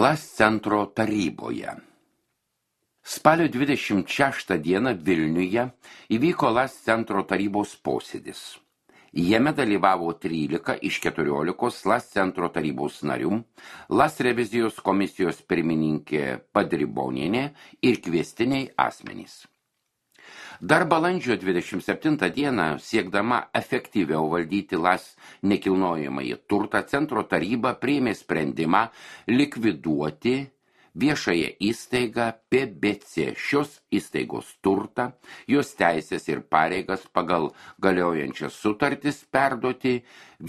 LAS centro taryboje. Spalio 26 dieną Vilniuje įvyko LAS centro tarybos posėdis. Jame dalyvavo 13 iš 14 LAS centro tarybos narių, LAS revizijos komisijos pirmininkė Padribonienė ir kviestiniai asmenys. Dar balandžio 27 dieną, siekdama efektyviau valdyti LAS nekilnojamąjį turtą, centro taryba priėmė sprendimą likviduoti viešąją įstaigą PBC, šios įstaigos turtą, jos teisės ir pareigas pagal galiojančias sutartis perduoti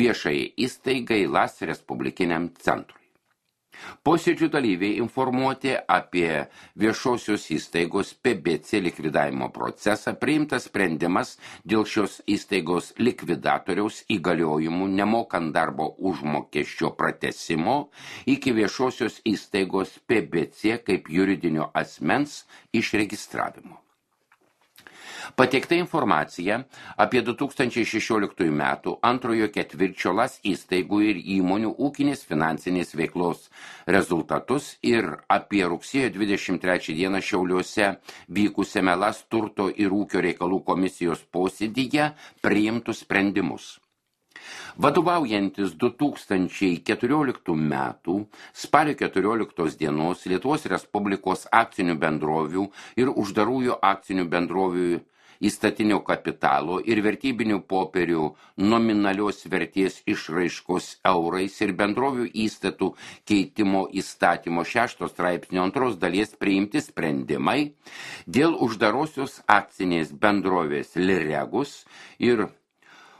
viešąją įstaigai LAS Respublikiniam centrui. Posėdžių dalyviai informuoti apie viešosios įstaigos PBC likvidavimo procesą, priimtas sprendimas dėl šios įstaigos likvidatoriaus įgaliojimų nemokant darbo užmokesčio pratęsimo iki viešosios įstaigos PBC kaip juridinio asmens išregistravimo. Pateikta informacija apie 2016 metų antrojo ketvirčio LAS įstaigų ir įmonių ūkinės finansinės veiklos rezultatus ir apie rugsėjo 23 dieną Šiauliuose vykusiame LAS turto ir ūkio reikalų komisijos posėdyje priimtus sprendimus. Vadovaujantis 2014 metų spalio 14 dienos Lietuvos Respublikos akcinių bendrovių ir uždarųjų akcinių bendrovių įstatinio kapitalo ir vertybinių popierių nominalios vertės išraiškos eurais ir bendrovių įstatų keitimo įstatymo 6 straipsnio 2 dalies priimti sprendimai dėl uždarosios akcinės bendrovės Liregus ir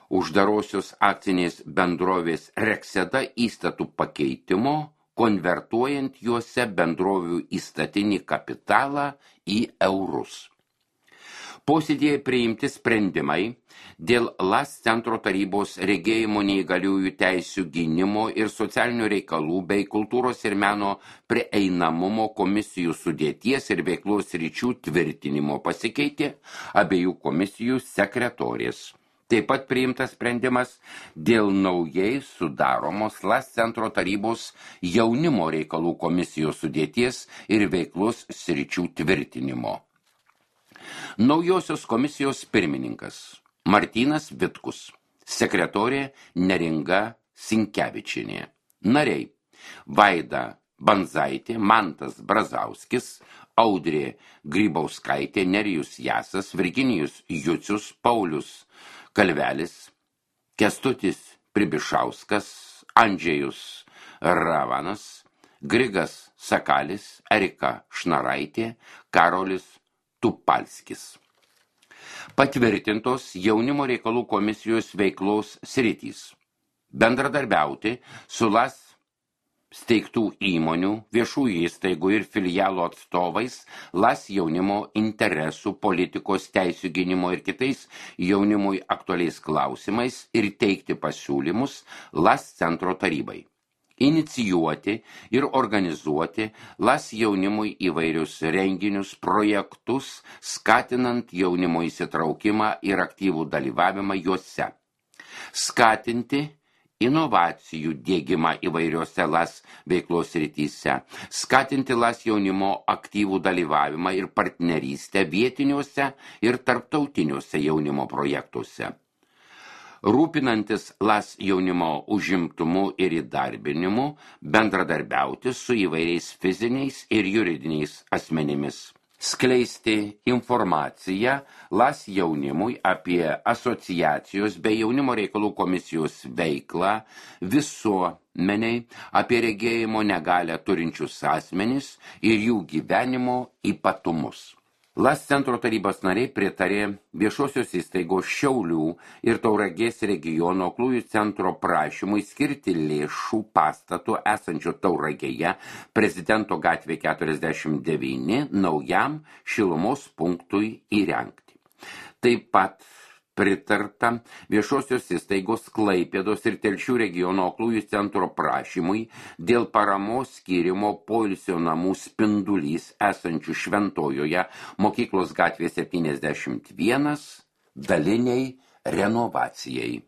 uždarosios akcinės bendrovės Rekseda įstatų pakeitimo, konvertuojant juose bendrovių įstatinį kapitalą į eurus. Posėdėje priimti sprendimai dėl LAS centro tarybos regėjimo neįgaliųjų teisių gynimo ir socialinių reikalų bei kultūros ir meno prieinamumo komisijų sudėties ir veiklos ryčių tvirtinimo pasikeitė abiejų komisijų sekretorės. Taip pat priimtas sprendimas dėl naujai sudaromos LAS centro tarybos jaunimo reikalų komisijos sudėties ir veiklos sričių tvirtinimo. Naujosios komisijos pirmininkas Martynas Vitkus, sekretorė Neringa Sinkevičienė, nariai Vaida Banzaitė, Mantas Brazauskis, Audrė Grybauskaitė, Nerijus Jasas, Virginijus Jucius, Paulius Kalvelis, Kęstutis Pribišauskas, Andžejus Ravanas, Grigas Sakalis, Erika Šnaraitė, Karolis Tupalskis. Patvirtintos jaunimo reikalų komisijos veiklos sritys. Bendradarbiauti su LAS steigtų įmonių, viešųjų įstaigų ir filialų atstovais, LAS jaunimo interesų, politikos, teisių gynimo ir kitais jaunimui aktualiais klausimais ir teikti pasiūlymus LAS centro tarybai. Inicijuoti ir organizuoti LAS jaunimui įvairius renginius, projektus, skatinant jaunimo įsitraukimą ir aktyvų dalyvavimą juose. Skatinti inovacijų diegimą įvairiose LAS veiklos srityse, skatinti LAS jaunimo aktyvų dalyvavimą ir partnerystę vietiniuose ir tarptautiniuose jaunimo projektuose. Rūpinantis LAS jaunimo užimtumu ir įdarbinimu, bendradarbiauti su įvairiais fiziniais ir juridiniais asmenimis. Skleisti informaciją LAS jaunimui apie asociacijos bei jaunimo reikalų komisijos veiklą visuomeniai, apie regėjimo negalią turinčius asmenis ir jų gyvenimo ypatumus. LAS centro tarybos nariai pritarė viešosios įstaigos Šiaulių ir Tauragės regiono aklųjų centro prašymui skirti lėšų pastatų esančio Tauragėje Prezidento gatvė 49 naujam šilumos punktui įrengti. Taip pat pritarta viešosios įstaigos Klaipėdos ir Telšių regiono aklųjų centro prašymui dėl paramos skyrimo poilsio namų Spindulys esančių Šventojoje mokyklos gatvė 71 daliniai renovacijai.